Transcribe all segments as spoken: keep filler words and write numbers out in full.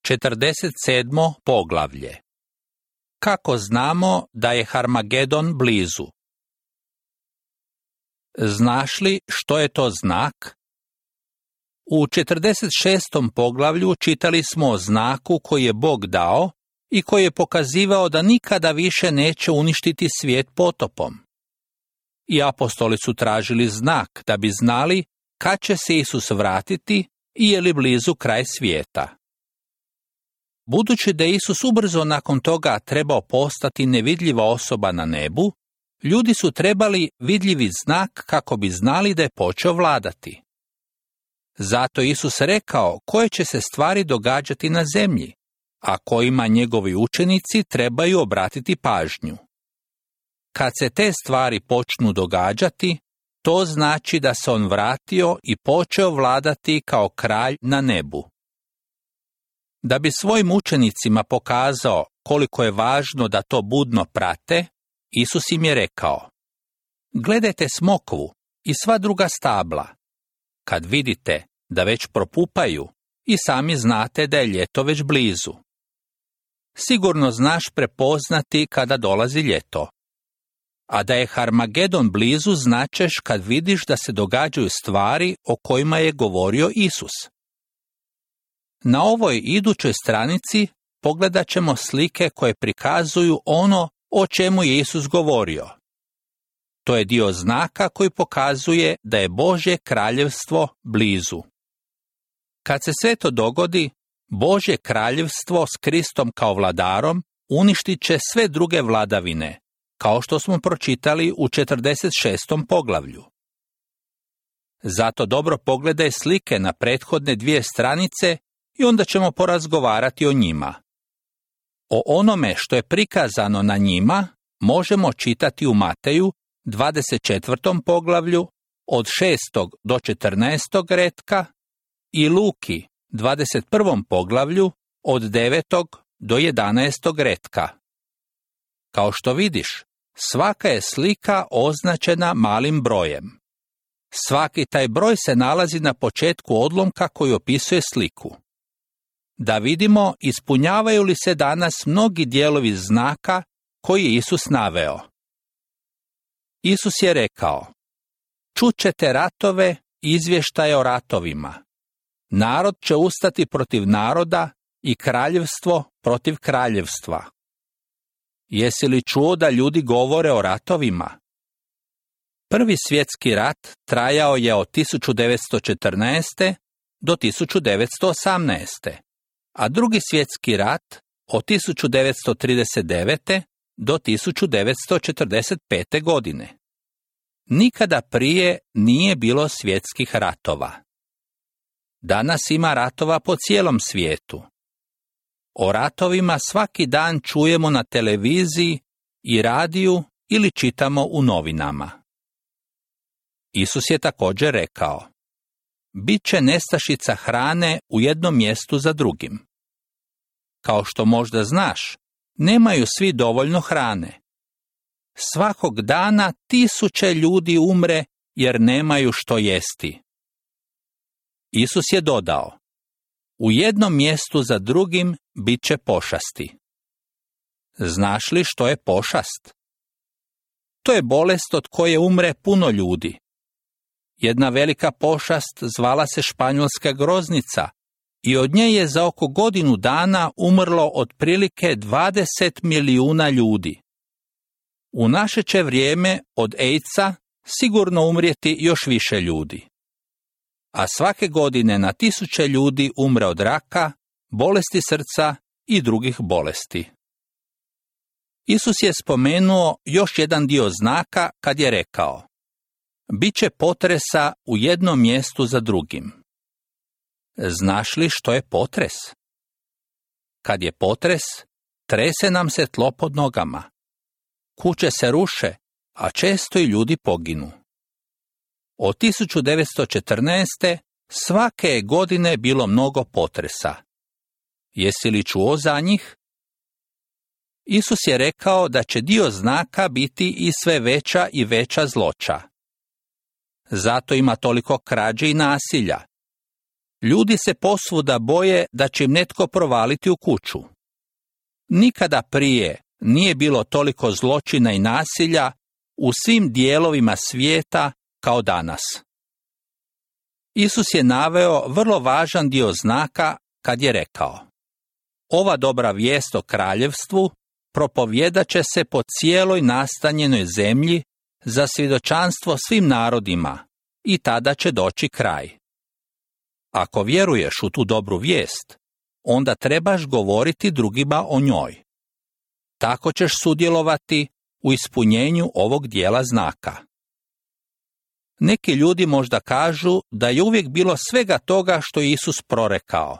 četrdeset sedmo poglavlje. Kako znamo da je Harmagedon blizu? Znaš li što je to znak? U četrdeset šestom poglavlju čitali smo o znaku koji je Bog dao i koji je pokazivao da nikada više neće uništiti svijet potopom. I apostoli su tražili znak da bi znali kad će se Isus vratiti i je li blizu kraj svijeta. Budući da je Isus ubrzo nakon toga trebao postati nevidljiva osoba na nebu, ljudi su trebali vidljivi znak kako bi znali da je počeo vladati. Zato je Isus rekao koje će se stvari događati na zemlji, a kojima njegovi učenici trebaju obratiti pažnju. Kad se te stvari počnu događati, to znači da se on vratio i počeo vladati kao kralj na nebu. Da bi svojim učenicima pokazao koliko je važno da to budno prate, Isus im je rekao: Gledajte smokvu i sva druga stabla. Kad vidite da već propupaju, i sami znate da je ljeto već blizu. Sigurno znaš prepoznati kada dolazi ljeto. A da je Harmagedon blizu značeš kad vidiš da se događaju stvari o kojima je govorio Isus. Na ovoj idućoj stranici pogledat ćemo slike koje prikazuju ono o čemu je Isus govorio. To je dio znaka koji pokazuje da je Božje kraljevstvo blizu. Kad se sve to dogodi, Božje kraljevstvo s Kristom kao vladarom uništit će sve druge vladavine, kao što smo pročitali u četrdeset šestom poglavlju. Zato dobro pogledaj slike na prethodne dvije stranice i onda ćemo porazgovarati o njima. O onome što je prikazano na njima možemo čitati u Mateju dvadeset četvrtom poglavlju od šestog do četrnaestog retka i Luki dvadeset prvom poglavlju od devetog do jedanaestog retka. Kao što vidiš, svaka je slika označena malim brojem. Svaki taj broj se nalazi na početku odlomka koji opisuje sliku. Da vidimo ispunjavaju li se danas mnogi dijelovi znaka koji je Isus naveo. Isus je rekao: Čut ćete ratove i izvještaje o ratovima. Narod će ustati protiv naroda i kraljevstvo protiv kraljevstva. Jesi li čuo da ljudi govore o ratovima? Prvi svjetski rat trajao je od tisuću devetsto četrnaeste. do tisuću devetsto osamnaeste. a drugi svjetski rat od tisuću devetsto trideset devete. do tisuću devetsto četrdeset pete. godine. Nikada prije nije bilo svjetskih ratova. Danas ima ratova po cijelom svijetu. O ratovima svaki dan čujemo na televiziji i radiju ili čitamo u novinama. Isus je također rekao: Biće nestašica hrane u jednom mjestu za drugim. Kao što možda znaš, nemaju svi dovoljno hrane. Svakog dana tisuće ljudi umre jer nemaju što jesti. Isus je dodao: U jednom mjestu za drugim bit će pošasti. Znaš li što je pošast? To je bolest od koje umre puno ljudi. Jedna velika pošast zvala se španjolska groznica i od nje je za oko godinu dana umrlo otprilike dvadeset milijuna ljudi. U naše će vrijeme od AIDS-a sigurno umrijeti još više ljudi. A svake godine na tisuće ljudi umre od raka, bolesti srca i drugih bolesti. Isus je spomenuo još jedan dio znaka kad je rekao: Biće potresa u jednom mjestu za drugim. Znaš li što je potres? Kad je potres, trese nam se tlo pod nogama. Kuće se ruše, a često i ljudi poginu. Od tisuću devetsto četrnaeste. svake je godine bilo mnogo potresa. Jesi li čuo za njih? Isus je rekao da će dio znaka biti i sve veća i veća zloća. Zato ima toliko krađe i nasilja. Ljudi se posvuda boje da će im netko provaliti u kuću. Nikada prije nije bilo toliko zločina i nasilja u svim dijelovima svijeta kao danas. Isus je naveo vrlo važan dio znaka kad je rekao: ova dobra vijest o kraljevstvu propovjedat će se po cijeloj nastanjenoj zemlji za svjedočanstvo svim narodima i tada će doći kraj. Ako vjeruješ u tu dobru vijest, onda trebaš govoriti drugima o njoj. Tako ćeš sudjelovati u ispunjenju ovog dijela znaka. Neki ljudi možda kažu da je uvijek bilo svega toga što je Isus prorekao.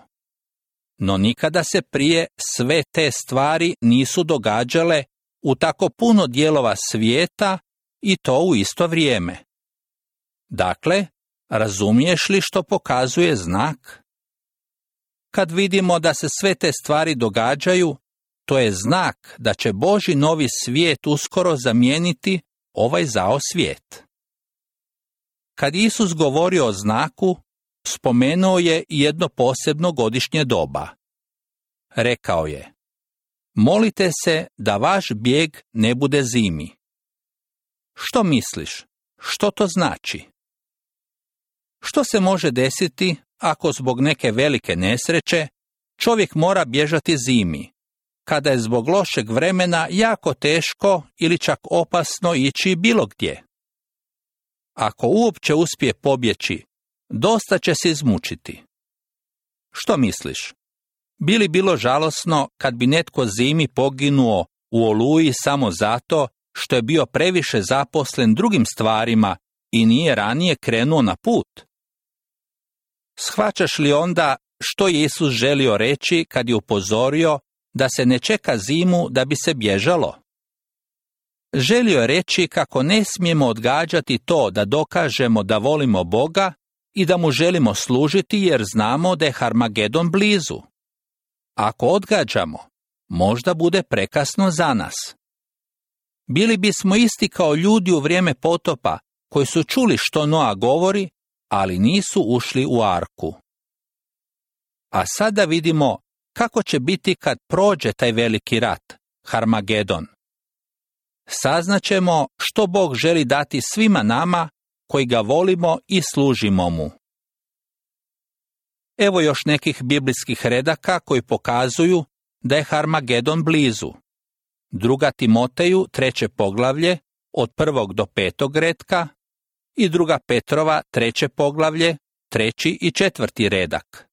No nikada se prije sve te stvari nisu događale u tako puno dijelova svijeta i to u isto vrijeme. Dakle, razumiješ li što pokazuje znak? Kad vidimo da se sve te stvari događaju, to je znak da će Božji novi svijet uskoro zamijeniti ovaj zao svijet. Kad Isus govorio o znaku, spomenuo je jedno posebno godišnje doba. Rekao je: molite se da vaš bijeg ne bude zimi. Što misliš? Što to znači? Što se može desiti ako zbog neke velike nesreće čovjek mora bježati zimi, kada je zbog lošeg vremena jako teško ili čak opasno ići bilo gdje? Ako uopće uspije pobjeći, dosta će se izmučiti. Što misliš? Bi li bilo žalosno kad bi netko zimi poginuo u Oluji samo zato što je bio previše zaposlen drugim stvarima i nije ranije krenuo na put? Shvaćaš li onda što je Isus želio reći kad je upozorio da se ne čeka zimu da bi se bježalo? Želio je reći kako ne smijemo odgađati to da dokažemo da volimo Boga i da mu želimo služiti jer znamo da je Harmagedon blizu. Ako odgađamo, možda bude prekasno za nas. Bili bismo isti kao ljudi u vrijeme potopa koji su čuli što Noa govori, ali nisu ušli u arku. A sada vidimo kako će biti kad prođe taj veliki rat, Harmagedon. Saznaćemo što Bog želi dati svima nama koji ga volimo i služimo mu. Evo još nekih biblijskih redaka koji pokazuju da je Harmagedon blizu. Druga Timoteju, treće poglavlje, od prvog do petog retka, i druga Petrova, treće poglavlje, treći i četvrti redak.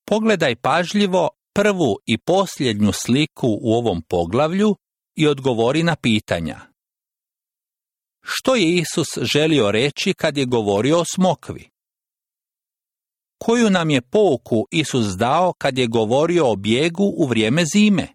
Pogledaj pažljivo prvu i posljednju sliku u ovom poglavlju i odgovori na pitanja. Što je Isus želio reći kad je govorio o smokvi? Koju nam je pouku Isus dao kad je govorio o bijegu u vrijeme zime?